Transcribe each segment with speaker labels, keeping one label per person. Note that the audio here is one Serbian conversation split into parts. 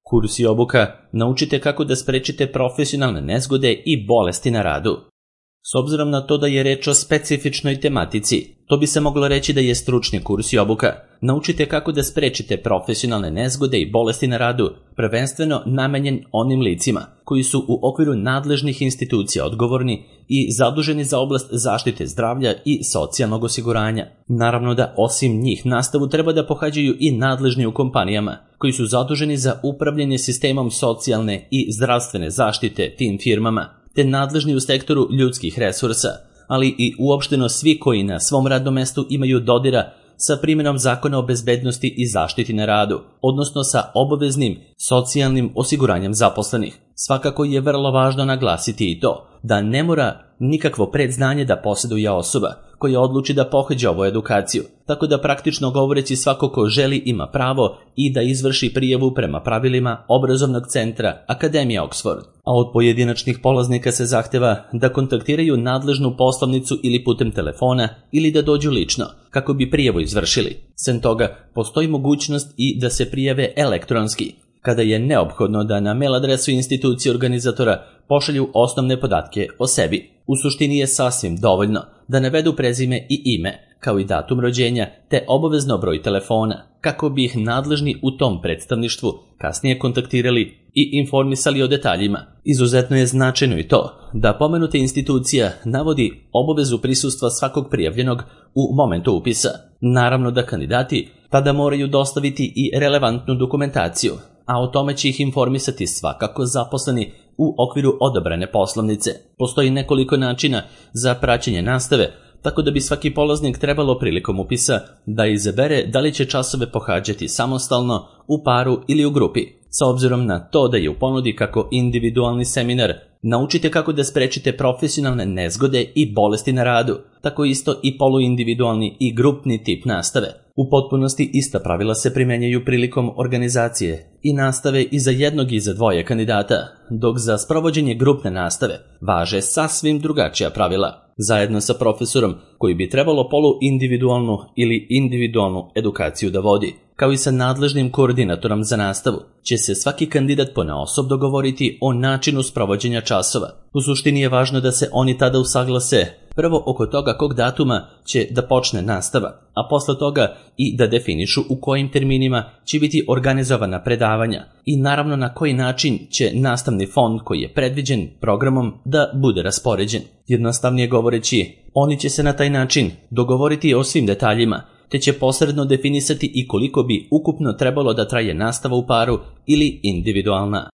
Speaker 1: Kurs i obuka naučite kako da sprečite profesionalne nezgode i bolesti na radu. S obzirom na to da je reč o specifičnoj tematici, to bi se moglo reći da je stručni kurs i obuka. Naučite kako da sprečite profesionalne nezgode i bolesti na radu, prvenstveno namenjen onim licima koji su u okviru nadležnih institucija odgovorni i zaduženi za oblast zaštite zdravlja i socijalnog osiguranja. Naravno da osim njih nastavu treba da pohađaju i nadležni u kompanijama koji su zaduženi za upravljanje sistemom socijalne i zdravstvene zaštite tim firmama, te nadležni u sektoru ljudskih resursa, ali i uopšteno svi koji na svom radnom mestu imaju dodira sa primjenom zakona o bezbednosti i zaštiti na radu, odnosno sa obaveznim socijalnim osiguranjem zaposlenih. Svakako je vrlo važno naglasiti i to da ne mora nikakvo predznanje da posjeduje osoba koja odluči da pohađa ovu edukaciju, tako da praktično govoreći svako ko želi ima pravo i da izvrši prijavu prema pravilima obrazovnog centra Akademija Oxford, a od pojedinačnih polaznika se zahteva da kontaktiraju nadležnu poslovnicu ili putem telefona ili da dođu lično kako bi prijavu izvršili. Sem toga, postoji mogućnost i da se prijave elektronski, kada je neophodno da na mail adresu institucije organizatora pošalju osnovne podatke o sebi. U suštini je sasvim dovoljno da navedu prezime i ime, kao i datum rođenja, te obavezno broj telefona, kako bi ih nadležni u tom predstavništvu kasnije kontaktirali i informisali o detaljima. Izuzetno je značajno i to da pomenuta institucija navodi obavezu prisustva svakog prijavljenog u momentu upisa. Naravno da kandidati tada moraju dostaviti i relevantnu dokumentaciju, a o tome će ih informisati svakako zaposleni u okviru odabrane poslovnice. Postoji nekoliko načina za praćenje nastave, tako da bi svaki polaznik trebalo prilikom upisa da izabere da li će časove pohađati samostalno, u paru ili u grupi. S obzirom na to da je u ponudi kako individualni seminar naučite kako da sprečite profesionalne nezgode i bolesti na radu, tako isto i poluindividualni i grupni tip nastave. U potpunosti ista pravila se primenjaju prilikom organizacije i nastave i za jednog i za dvoje kandidata, dok za sprovođenje grupne nastave važe sasvim drugačija pravila. Zajedno sa profesorom koji bi trebalo poluindividualnu ili individualnu edukaciju da vodi, kao i sa nadležnim koordinatorom za nastavu, će se svaki kandidat ponaosob dogovoriti o načinu sprovođenja časova. U suštini je važno da se oni tada usaglase prvo oko toga kog datuma će da počne nastava, a posle toga i da definišu u kojim terminima će biti organizovana predavanja i naravno na koji način će nastavni fond koji je predviđen programom da bude raspoređen. Jednostavnije govoreći, oni će se na taj način dogovoriti o svim detaljima, te će posredno definisati i koliko bi ukupno trebalo da traje nastava u paru ili individualna.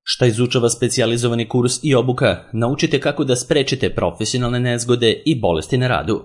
Speaker 1: Šta izučava specijalizovani kurs i obuka, naučite kako da sprečite profesionalne nezgode i bolesti na radu.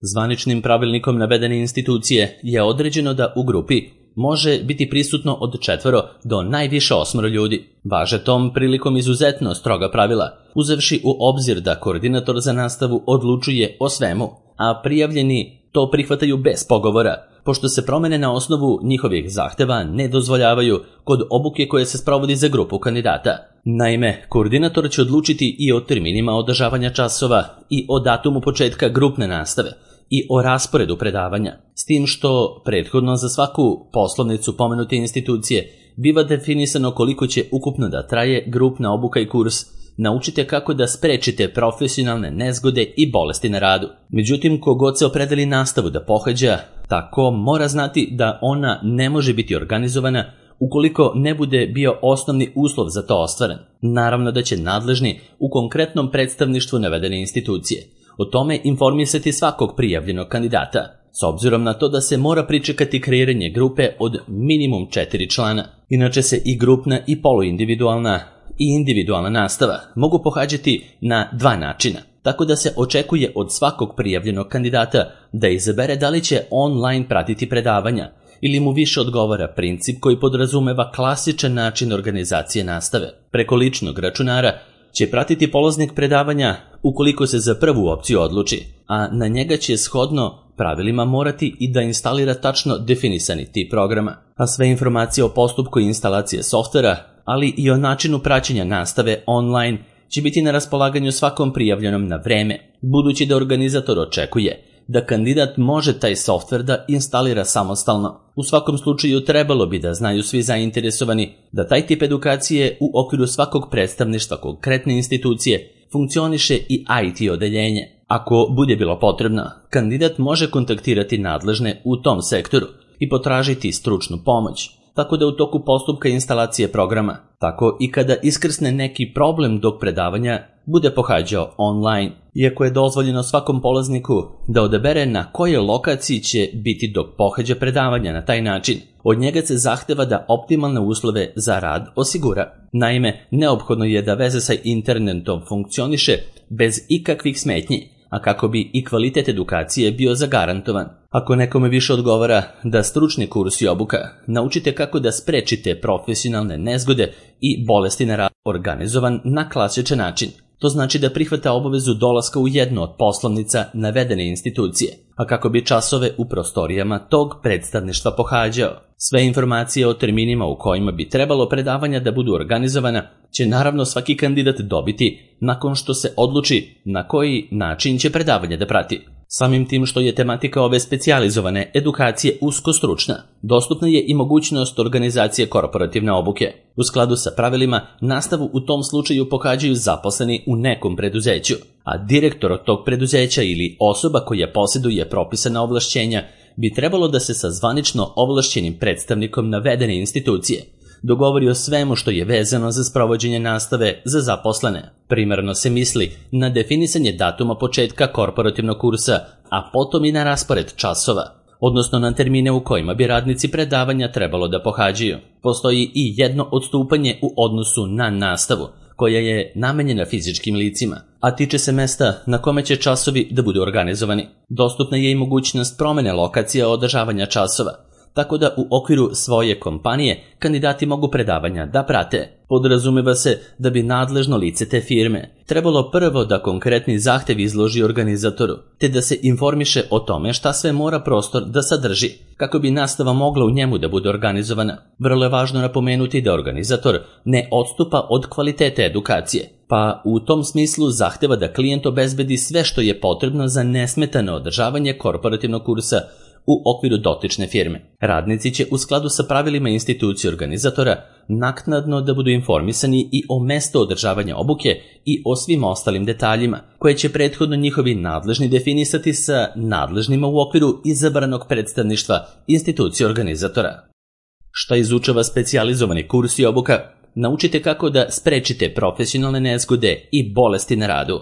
Speaker 1: Zvaničnim pravilnikom navedene institucije je određeno da u grupi može biti prisutno od 4 do najviše 8 ljudi. Važe tom prilikom izuzetno stroga pravila, uzevši u obzir da koordinator za nastavu odlučuje o svemu, a prijavljeni to prihvataju bez pogovora, pošto se promene na osnovu njihovih zahteva ne dozvoljavaju kod obuke koje se sprovodi za grupu kandidata. Naime, koordinator će odlučiti i o terminima održavanja časova i o datumu početka grupne nastave i o rasporedu predavanja, s tim što prethodno za svaku poslovnicu pomenute institucije biva definisano koliko će ukupno da traje grupna obuka i kurs. Naučite kako da sprečite profesionalne nezgode i bolesti na radu. Međutim, kogod se opredeli nastavu da pohađa, tako mora znati da ona ne može biti organizovana ukoliko ne bude bio osnovni uslov za to ostvaren. Naravno da će nadležni u konkretnom predstavništvu navedene institucije o tome informisati svakog prijavljenog kandidata, s obzirom na to da se mora pričekati kreiranje grupe od minimum 4 člana. Inače se i grupna i poluindividualna i individualna nastava mogu pohađati na 2 načina, tako da se očekuje od svakog prijavljenog kandidata da izabere da li će online pratiti predavanja ili mu više odgovara princip koji podrazumeva klasičan način organizacije nastave. Preko ličnog računara će pratiti polaznik predavanja ukoliko se za prvu opciju odluči, a na njega će shodno pravilima morati i da instalira tačno definisani tip programa, a sve informacije o postupku instalacije softvera, ali i o načinu praćenja nastave online će biti na raspolaganju svakom prijavljenom na vreme, budući da organizator očekuje da kandidat može taj softver da instalira samostalno. U svakom slučaju trebalo bi da znaju svi zainteresovani da taj tip edukacije u okviru svakog predstavništva konkretne institucije funkcioniše i IT odeljenje. Ako bude bilo potrebno, kandidat može kontaktirati nadležne u tom sektoru i potražiti stručnu pomoć, tako da u toku postupka instalacije programa, tako i kada iskrsne neki problem dok predavanja bude pohađao online. Iako je dozvoljeno svakom polazniku da odabere na kojoj lokaciji će biti dok pohađa predavanja na taj način, od njega se zahteva da optimalne uslove za rad osigura. Naime, neophodno je da veza sa internetom funkcioniše bez ikakvih smetnji, a kako bi i kvalitet edukacije bio zagarantovan. Ako nekome više odgovara da stručni kurs i obuka naučite kako da sprečite profesionalne nezgode i bolesti na radu organizovan na klasičan način, to znači da prihvata obavezu dolaska u jednu od poslovnica navedene institucije, a kako bi časove u prostorijama tog predstavništva pohađao. Sve informacije o terminima u kojima bi trebalo predavanja da budu organizovana će naravno svaki kandidat dobiti nakon što se odluči na koji način će predavanje da prati. Samim tim što je tematika ove specijalizovane edukacije usko stručna, dostupna je i mogućnost organizacije korporativne obuke. U skladu sa pravilima, nastavu u tom slučaju pohađaju zaposleni u nekom preduzeću, a direktor od tog preduzeća ili osoba koja posjeduje propisana ovlašćenja bi trebalo da se sa zvanično ovlašćenim predstavnikom navedene institucije dogovori o svemu što je vezano za sprovođenje nastave za zaposlene. Primarno se misli na definisanje datuma početka korporativnog kursa, a potom i na raspored časova, odnosno na termine u kojima bi radnici predavanja trebalo da pohađaju. Postoji i jedno odstupanje u odnosu na nastavu, koja je namenjena fizičkim licima, a tiče se mesta na kome će časovi da budu organizovani. Dostupna je i mogućnost promene lokacija održavanja časova, tako da u okviru svoje kompanije kandidati mogu predavanja da prate. Podrazumeva se da bi nadležno lice te firme trebalo prvo da konkretni zahtev izloži organizatoru, te da se informiše o tome šta sve mora prostor da sadrži, kako bi nastava mogla u njemu da bude organizovana. Vrlo je važno napomenuti da organizator ne odstupa od kvalitete edukacije, pa u tom smislu zahteva da klijent obezbedi sve što je potrebno za nesmetano održavanje korporativnog kursa u okviru dotične firme. Radnici će u skladu sa pravilima institucije organizatora naknadno da budu informisani i o mestu održavanja obuke i o svim ostalim detaljima, koje će prethodno njihovi nadležni definisati sa nadležnima u okviru izabranog predstavništva institucije organizatora. Šta izučava specijalizovani kurs i obuka? Naučite kako da sprečite profesionalne nezgode i bolesti na radu.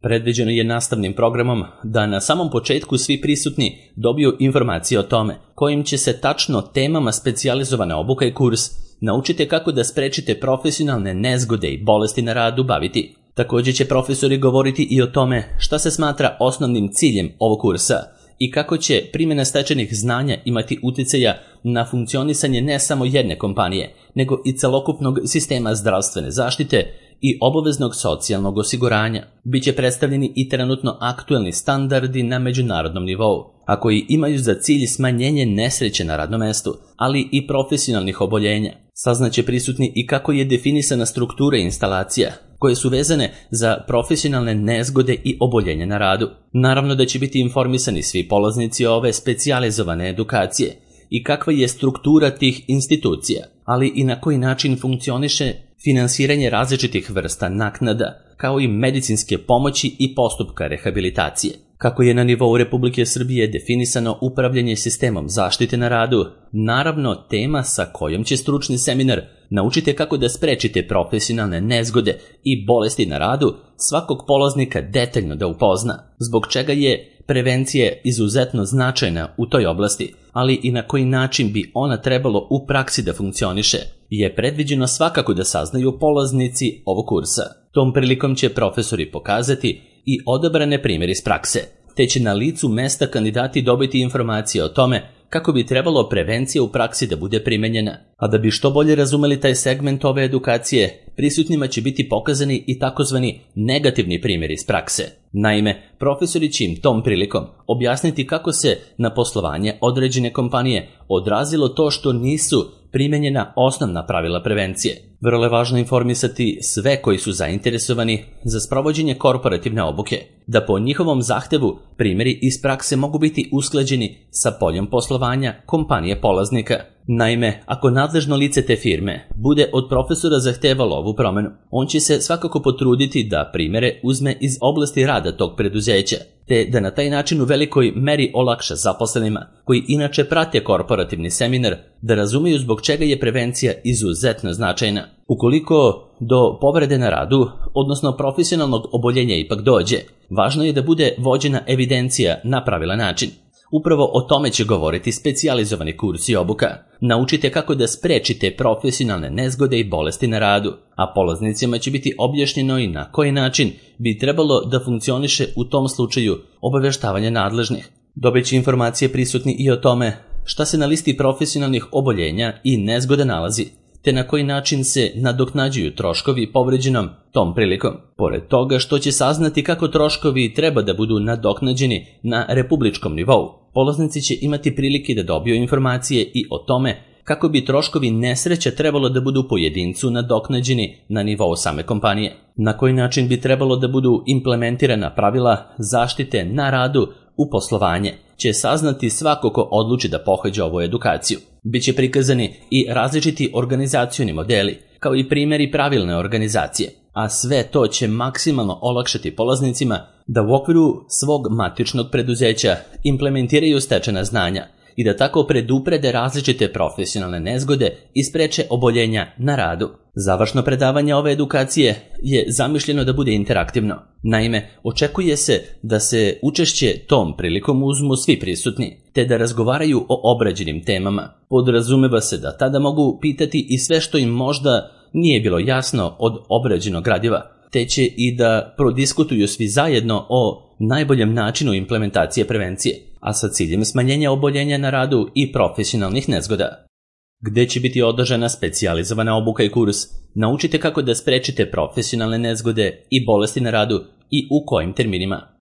Speaker 1: Predviđeno je nastavnim programom da na samom početku svi prisutni dobiju informacije o tome kojim će se tačno temama specijalizovana obuka i kurs naučite kako da sprečite profesionalne nezgode i bolesti na radu baviti. Također će profesori govoriti i o tome šta se smatra osnovnim ciljem ovog kursa i kako će primjena stečenih znanja imati uticaja na funkcionisanje ne samo jedne kompanije, nego i celokupnog sistema zdravstvene zaštite i obaveznog socijalnog osiguranja. Biće predstavljeni i trenutno aktuelni standardi na međunarodnom nivou, a koji imaju za cilj smanjenje nesreće na radnom mestu, ali i profesionalnih oboljenja. Saznaće prisutni i kako je definisana struktura instalacija, koje su vezane za profesionalne nezgode i oboljenja na radu. Naravno da će biti informisani svi polaznici ove specijalizovane edukacije i kakva je struktura tih institucija, ali i na koji način funkcioniše finansiranje različitih vrsta naknada, kao i medicinske pomoći i postupka rehabilitacije. Kako je na nivou Republike Srbije definisano upravljanje sistemom zaštite na radu, naravno tema sa kojom će stručni seminar naučite kako da sprečite profesionalne nezgode i bolesti na radu svakog polaznika detaljno da upozna, zbog čega je prevencija izuzetno značajna u toj oblasti, ali i na koji način bi ona trebalo u praksi da funkcioniše, je predviđeno svakako da saznaju polaznici ovog kursa. Tom prilikom će profesori pokazati i odabrane primjere iz prakse, te će na licu mesta kandidati dobiti informacije o tome kako bi trebalo prevencija u praksi da bude primenjena. A da bi što bolje razumeli taj segment ove edukacije, prisutnima će biti pokazani i takozvani negativni primjeri iz prakse. Naime, profesori će im tom prilikom objasniti kako se na poslovanje određene kompanije odrazilo to što nisu primenjena osnovna pravila prevencije. Vrlo je važno informisati sve koji su zainteresovani za sprovođenje korporativne obuke, da po njihovom zahtevu primjeri iz prakse mogu biti usklađeni sa poljem poslovanja kompanije polaznika. Naime, ako nadležno lice te firme bude od profesora zahtevalo ovu promenu, on će se svakako potruditi da primjere uzme iz oblasti rada tog preduzeća, te da na taj način u velikoj meri olakša zaposlenima, koji inače prate korporativni seminar, da razumiju zbog čega je prevencija izuzetno značajna. Ukoliko do povrede na radu, odnosno profesionalnog oboljenja ipak dođe, važno je da bude vođena evidencija na pravilan način. Upravo o tome će govoriti specijalizovani kurs i obuka. Naučite kako da sprečite profesionalne nezgode i bolesti na radu, a polaznicima će biti objašnjeno i na koji način bi trebalo da funkcioniše u tom slučaju obaveštavanje nadležnih. Dobit će informacije prisutni i o tome šta se na listi profesionalnih oboljenja i nezgoda nalazi, te na koji način se nadoknađuju troškovi povređenom tom prilikom. Pored toga što će saznati kako troškovi treba da budu nadoknađeni na republičkom nivou, polaznici će imati prilike da dobiju informacije i o tome kako bi troškovi nesreća trebalo da budu pojedincu nadoknađeni na nivou same kompanije. Na koji način bi trebalo da budu implementirana pravila zaštite na radu u poslovanje će saznati svako ko odluči da pohađa ovu edukaciju. Biće prikazani i različiti organizacioni modeli, kao i primjeri pravilne organizacije, a sve to će maksimalno olakšati polaznicima da u okviru svog matičnog preduzeća implementiraju stečena znanja i da tako preduprede različite profesionalne nezgode i spreče oboljenja na radu. Završno predavanje ove edukacije je zamišljeno da bude interaktivno. Naime, očekuje se da se učešće tom prilikom uzmu svi prisutni, te da razgovaraju o obrađenim temama. Podrazumeva se da tada mogu pitati i sve što im možda nije bilo jasno od obrađenog gradiva, te će i da prodiskutuju svi zajedno o najboljem načinu implementacije prevencije, a sa ciljem smanjenja oboljenja na radu i profesionalnih nezgoda. Gde će biti održana specijalizovana obuka i kurs, naučite kako da sprečite profesionalne nezgode i bolesti na radu i u kojim terminima.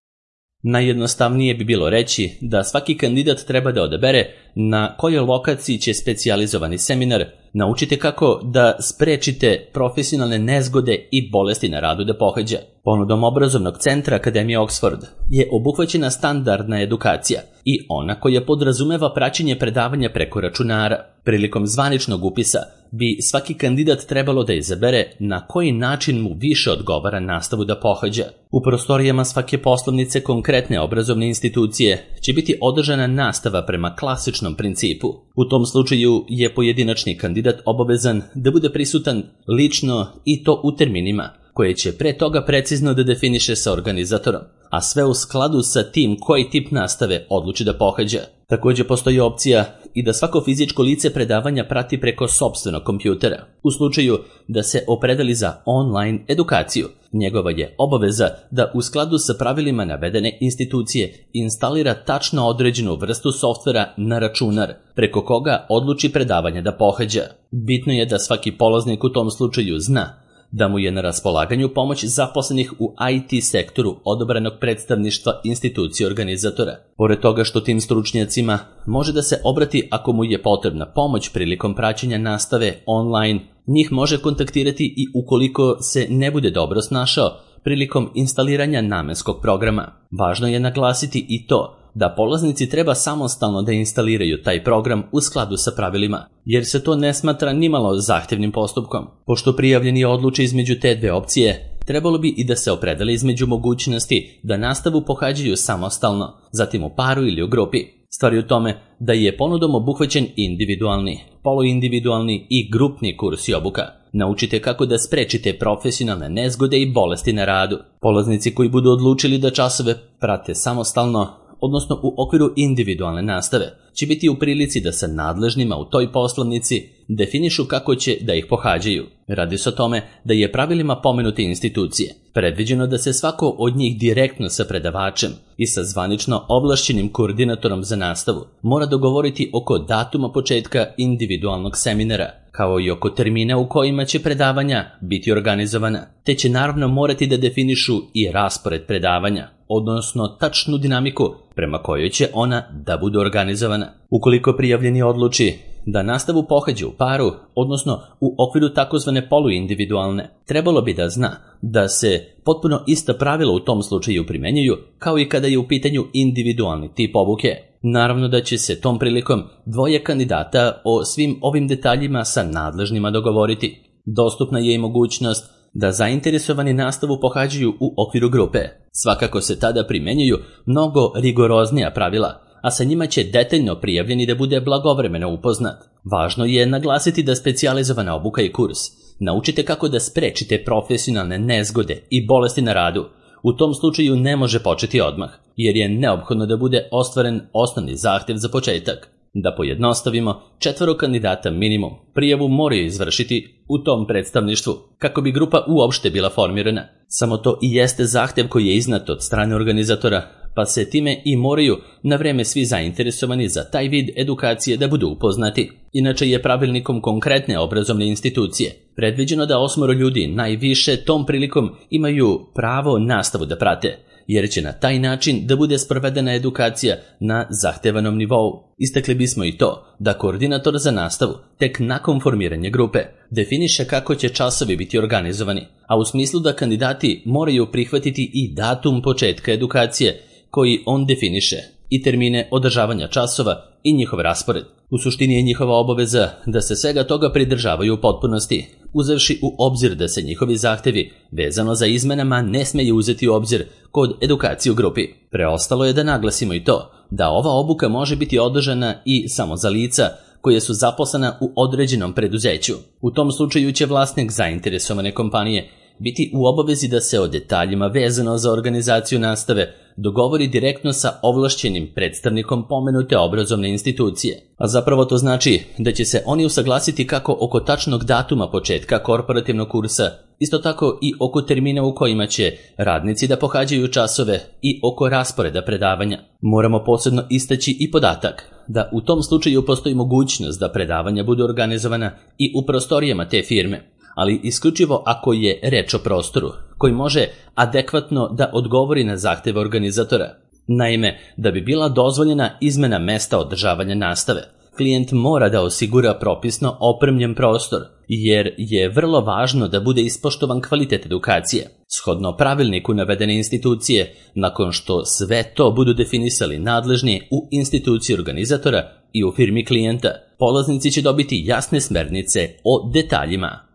Speaker 1: Najjednostavnije bi bilo reći da svaki kandidat treba da odabere na kojoj lokaciji će specijalizovani seminar. Naučite kako da sprečite profesionalne nezgode i bolesti na radu da pohađa. Ponudom obrazovnog centra Akademije Oxford je obuhvaćena standardna edukacija i ona koja podrazumeva praćenje predavanja preko računara. Prilikom zvaničnog upisa bi svaki kandidat trebalo da izabere na koji način mu više odgovara nastavu da pohađa. U prostorijama svake poslovnice konkretne obrazovne institucije će biti održana nastava prema klasičnom principu. U tom slučaju je pojedinačni kandidat obavezan da bude prisutan lično i to u terminima, koje će pre toga precizno da definiše sa organizatorom, a sve u skladu sa tim koji tip nastave odluči da pohađa. Također postoji opcija i da svako fizičko lice predavanja prati preko sopstvenog kompjutera. U slučaju da se opredeli za online edukaciju, njegova je obaveza da u skladu sa pravilima navedene institucije instalira tačno određenu vrstu softvera na računar, preko koga odluči predavanje da pohađa. Bitno je da svaki polaznik u tom slučaju zna da mu je na raspolaganju pomoć zaposlenih u IT sektoru odobrenog predstavništva institucije organizatora. Pored toga što tim stručnjacima može da se obrati ako mu je potrebna pomoć prilikom praćenja nastave online, njih može kontaktirati i ukoliko se ne bude dobro snašao prilikom instaliranja namenskog programa. Važno je naglasiti i to da polaznici treba samostalno da instaliraju taj program u skladu sa pravilima, jer se to ne smatra nimalo zahtevnim postupkom. Pošto prijavljeni odluči između te dve opcije, trebalo bi i da se opredele između mogućnosti da nastavu pohađaju samostalno, zatim u paru ili u grupi. Stvar je u tome da je ponudom obuhvaćen individualni, poluindividualni i grupni kurs i obuka. Naučite kako da sprečite profesionalne nezgode i bolesti na radu. Polaznici koji budu odlučili da časove prate samostalno, odnosno u okviru individualne nastave, će biti u prilici da sa nadležnima u toj poslovnici definišu kako će da ih pohađaju. Radi se o tome da je pravilima pomenute institucije predviđeno da se svako od njih direktno sa predavačem i sa zvanično ovlašćenim koordinatorom za nastavu mora dogovoriti oko datuma početka individualnog seminara, kao i oko termina u kojima će predavanja biti organizovana, te će naravno morati da definišu i raspored predavanja, odnosno tačnu dinamiku prema kojoj će ona da bude organizovana. Ukoliko prijavljeni odluči da nastavu pohađa u paru, odnosno u okviru takozvane poluindividualne, trebalo bi da zna da se potpuno ista pravila u tom slučaju primenjuju kao i kada je u pitanju individualni tip obuke. Naravno da će se tom prilikom dvoje kandidata o svim ovim detaljima sa nadležnima dogovoriti. Dostupna je i mogućnost da zainteresovani nastavu pohađaju u okviru grupe. Svakako se tada primenjuju mnogo rigoroznija pravila, a sa njima će detaljno prijavljeni da bude blagovremeno upoznat. Važno je naglasiti da specijalizovana obuka i kurs naučite kako da sprečite profesionalne nezgode i bolesti na radu. U tom slučaju ne može početi odmah, jer je neophodno da bude ostvaren osnovni zahtev za početak. Da pojednostavimo, 4 kandidata minimum prijavu moraju izvršiti u tom predstavništvu, kako bi grupa uopšte bila formirana. Samo to i jeste zahtev koji je iznat od strane organizatora, pa se time i moraju na vreme svi zainteresovani za taj vid edukacije da budu upoznati. Inače je pravilnikom konkretne obrazovne institucije predviđeno da 8 ljudi najviše tom prilikom imaju pravo nastavu da prate, jer će na taj način da bude sprovedena edukacija na zahtevanom nivou. Istakli bismo i to da koordinator za nastavu tek nakon formiranja grupe definiše kako će časovi biti organizovani, a u smislu da kandidati moraju prihvatiti i datum početka edukacije koji on definiše i termine održavanja časova i njihov raspored. U suštini je njihova obaveza da se svega toga pridržavaju u potpunosti, uzevši u obzir da se njihovi zahtevi vezano za izmenama ne smeju uzeti u obzir kod edukacije u grupi. Preostalo je da naglasimo i to da ova obuka može biti održana i samo za lica koje su zaposlena u određenom preduzeću. U tom slučaju će vlasnik zainteresovane kompanije biti u obavezi da se o detaljima vezano za organizaciju nastave dogovori direktno sa ovlašćenim predstavnikom pomenute obrazovne institucije. A zapravo to znači da će se oni usaglasiti kako oko tačnog datuma početka korporativnog kursa, isto tako i oko termina u kojima će radnici da pohađaju časove i oko rasporeda predavanja. Moramo posebno istaći i podatak da u tom slučaju postoji mogućnost da predavanja budu organizovana i u prostorijama te firme, ali isključivo ako je reč o prostoru koji može adekvatno da odgovori na zahteve organizatora. Naime, da bi bila dozvoljena izmena mesta održavanja nastave, klijent mora da osigura propisno opremljen prostor, jer je vrlo važno da bude ispoštovan kvalitet edukacije. Shodno pravilniku navedene institucije, nakon što sve to budu definisali nadležni u instituciji organizatora i u firmi klijenta, polaznici će dobiti jasne smernice o detaljima.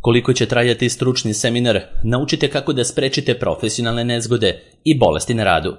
Speaker 1: Koliko će trajati stručni seminar, naučite kako da sprečite profesionalne nezgode i bolesti na radu.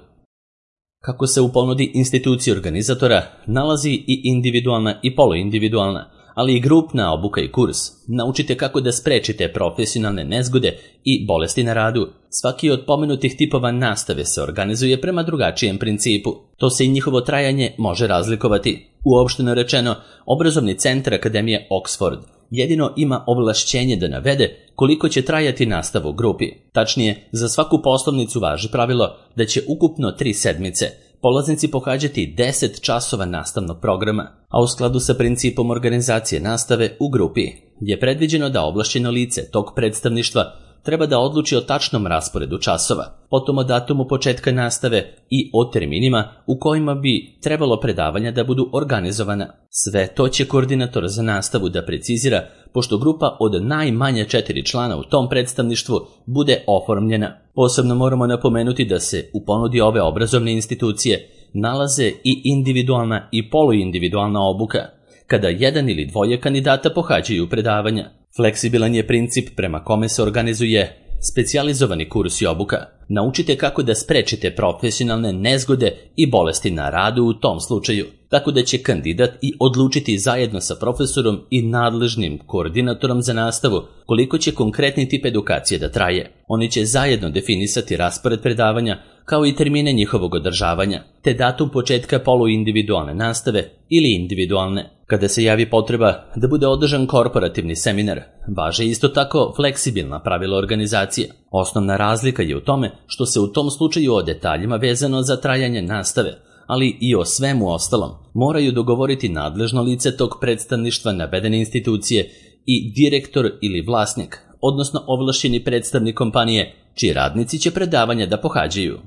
Speaker 1: Kako se u ponudi institucije organizatora nalazi i individualna i poluindividualna, ali i grupna obuka i kurs, naučite kako da sprečite profesionalne nezgode i bolesti na radu. Svaki od pomenutih tipova nastave se organizuje prema drugačijem principu. To se i njihovo trajanje može razlikovati. Uopšteno rečeno, obrazovni centar Akademije Oxford jedino ima ovlašćenje da navede koliko će trajati nastava u grupi. Tačnije, za svaku poslovnicu važi pravilo da će ukupno 3 sedmice polaznici pohađati 10 časova nastavnog programa, a u skladu sa principom organizacije nastave u grupi je predviđeno da ovlašćeno lice tog predstavništva treba da odluči o tačnom rasporedu časova, potom o datumu početka nastave i o terminima u kojima bi trebalo predavanja da budu organizovana. Sve to će koordinator za nastavu da precizira, pošto grupa od najmanje 4 člana u tom predstavništvu bude oformljena. Posebno moramo napomenuti da se u ponudi ove obrazovne institucije nalaze i individualna i poluindividualna obuka, kada 1 ili 2 kandidata pohađaju predavanja. Fleksibilan je princip prema kome se organizuje specijalizovani kurs i obuka. Naučite kako da sprečite profesionalne nezgode i bolesti na radu u tom slučaju, tako da će kandidat i odlučiti zajedno sa profesorom i nadležnim koordinatorom za nastavu koliko će konkretni tip edukacije da traje. Oni će zajedno definisati raspored predavanja kao i termine njihovog održavanja, te datum početka poluindividualne nastave ili individualne. Kada se javi potreba da bude održan korporativni seminar, važe isto tako fleksibilna pravila organizacije. Osnovna razlika je u tome što se u tom slučaju o detaljima vezano za trajanje nastave, ali i o svemu ostalom, moraju dogovoriti nadležno lice tog predstavništva navedene institucije i direktor ili vlasnik, odnosno ovlašćeni predstavnik kompanije, čiji radnici će predavanja da pohađaju.